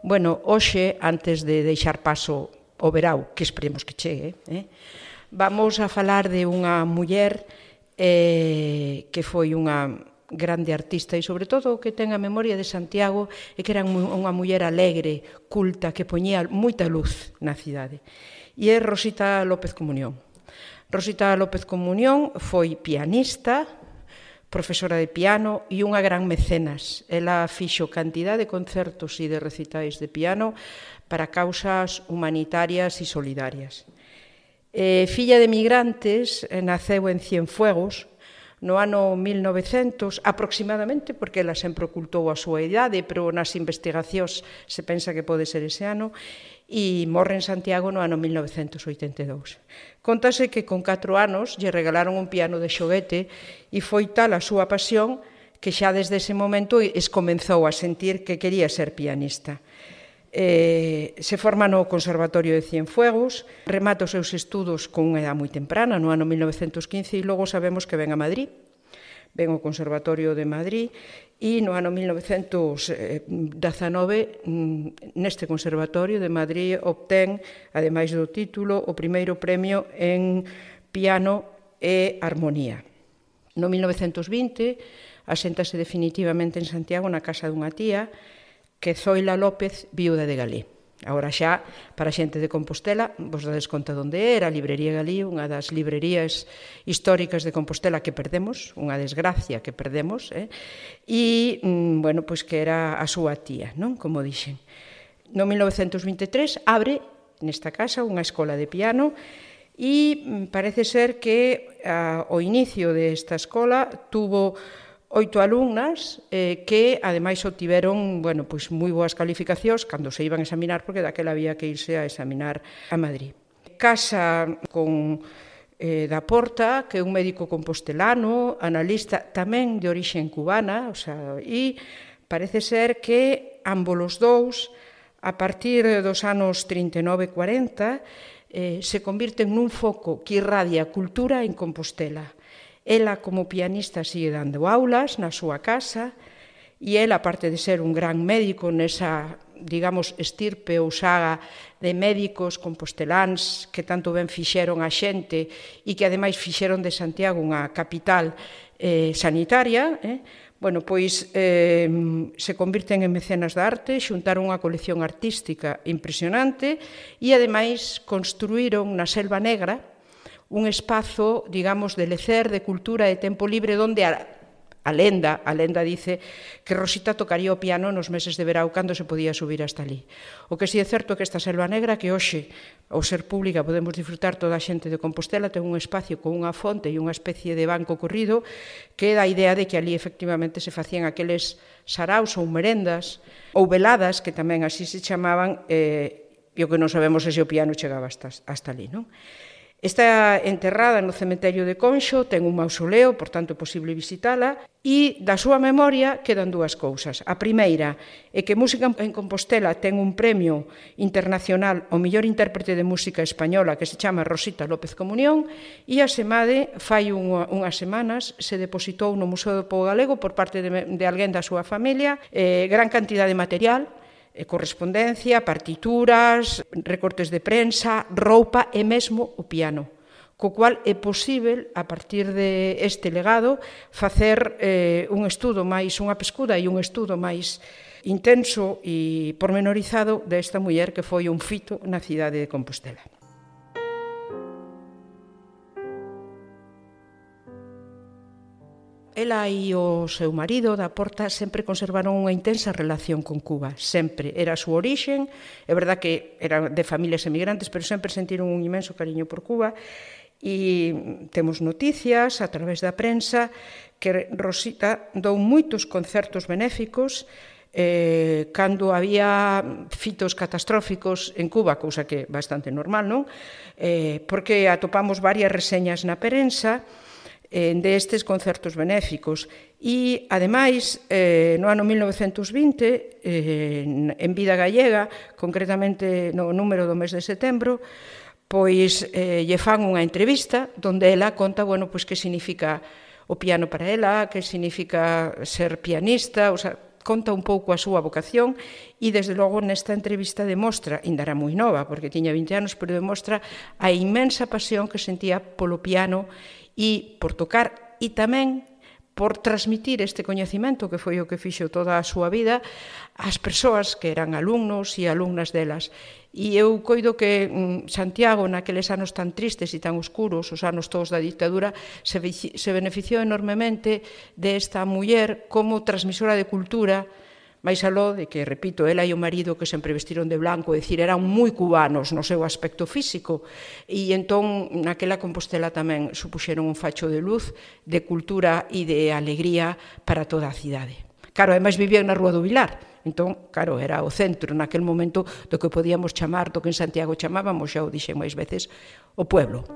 Bueno, hoxe, antes de deixar paso ao verao, que esperemos que chegue, vamos a falar de unha muller que foi unha grande artista e, sobre todo, que ten a memoria de Santiago e que era unha muller alegre, culta, que poñía moita luz na cidade. E é Rosita López Comunión. Rosita López Comunión foi pianista, profesora de piano e unha gran mecenas. Ela fixo cantidad de concertos e de recitais de piano para causas humanitarias e solidarias. Filla de migrantes, naceu en Cienfuegos no ano 1900, aproximadamente, porque ela sempre ocultou a súa idade, pero nas investigacións se pensa que pode ser ese ano, e morre en Santiago no ano 1982. Contase que con 4 anos lle regalaron un piano de xoguete e foi tal a súa pasión que xa desde ese momento comenzou a sentir que quería ser pianista. Se forma no Conservatorio de Cienfuegos, remata os seus estudos con unha edad moi temprana, no ano 1915, e logo sabemos que ven a Madrid, ven ao Conservatorio de Madrid, e no ano 1919 neste Conservatorio de Madrid obtén, ademais do título, o primeiro premio en piano e armonía. No 1920 aséntase definitivamente en Santiago na casa dunha tía, que Zoila López, viúda de Galí. Agora xa, para a xente de Compostela, vos dades conta onde era, a Librería Galí, unha das librerías históricas de Compostela que perdemos, unha desgracia que perdemos, e, bueno, pois que era a súa tía, non? Como dixen. No 1923 abre nesta casa unha escola de piano e parece ser que ao inicio desta escola tuvo 8 alumnas que, ademais, obtiveron moi boas calificacións cando se iban a examinar, porque daquela había que irse a examinar a Madrid. Casa con da Porta, que é un médico compostelano, analista tamén de orixe cubana, e parece ser que ambos os dous, a partir dos anos 39-40, se convirten nun foco que irradia cultura en Compostela. Ela, como pianista, sigue dando aulas na súa casa e ela, aparte de ser un gran médico nesa, digamos, estirpe ou saga de médicos composteláns que tanto ben fixeron a xente e que, ademais, fixeron de Santiago unha capital sanitaria, pois se convirten en mecenas da arte, xuntaron unha colección artística impresionante e, ademais, construíron na Selva Negra un espazo, digamos, de lecer, de cultura, de tempo libre, onde a lenda dice que Rosita tocaría o piano nos meses de verao cando se podía subir hasta ali. O que si é certo é que esta Selva Negra, que hoxe, ao ser pública, podemos disfrutar toda a xente de Compostela, ten un espacio con unha fonte e unha especie de banco corrido que dá a idea de que ali efectivamente se facían aqueles saraos ou merendas ou veladas, que tamén así se chamaban, e o que non sabemos é se o piano chegaba hasta ali, non? Está enterrada no cemiterio de Conxo, ten un mausoleo, por tanto é posible visitala, e da súa memoria quedan dúas cousas. A primeira é que Música en Compostela ten un premio internacional ao mellor intérprete de música española que se chama Rosita López Comunión, e a SEMADE, fai unhas semanas, se depositou no Museo do Pobo Galego por parte de alguén da súa familia gran cantidad de material, correspondencia, partituras, recortes de prensa, roupa e mesmo o piano, co cual é posível, a partir deste legado, facer un estudo máis, unha pescuda e un estudo máis intenso e pormenorizado desta muller que foi un fito na cidade de Compostela. Ela e o seu marido, da Porta, sempre conservaron unha intensa relación con Cuba. Sempre. Era a súa orixen. É verdad que eran de familias emigrantes, pero sempre sentiron un inmenso cariño por Cuba. E temos noticias a través da prensa que Rosita dou moitos concertos benéficos cando había fitos catastróficos en Cuba, cousa que é bastante normal, non? Porque atopamos varias reseñas na prensa destes concertos benéficos e, ademais, no ano 1920, en Vida Gallega, concretamente no número do mes de setembro, pois lle fan unha entrevista onde ela conta, que significa o piano para ela, que significa ser pianista, conta un pouco a súa vocación e, desde logo, nesta entrevista demostra, ainda era moi nova, porque tiña 20 anos, pero demostra a inmensa pasión que sentía polo piano e por tocar, e tamén por transmitir este coñecemento, que foi o que fixo toda a súa vida, ás persoas que eran alumnos e alumnas delas. E eu coido que Santiago, naqueles anos tan tristes e tan oscuros, os anos todos da dictadura, se beneficiou enormemente desta muller como transmisora de cultura, máis aló de que, repito, ela e o marido que sempre vestiron de blanco, é dicir, eran moi cubanos no seu aspecto físico, e entón naquela Compostela tamén supuxeron un facho de luz, de cultura e de alegría para toda a cidade. Claro, ademais vivían na Rúa do Vilar, entón, claro, era o centro naquel momento do que podíamos chamar, do que en Santiago chamábamos, xa o dixen máis veces, o pueblo.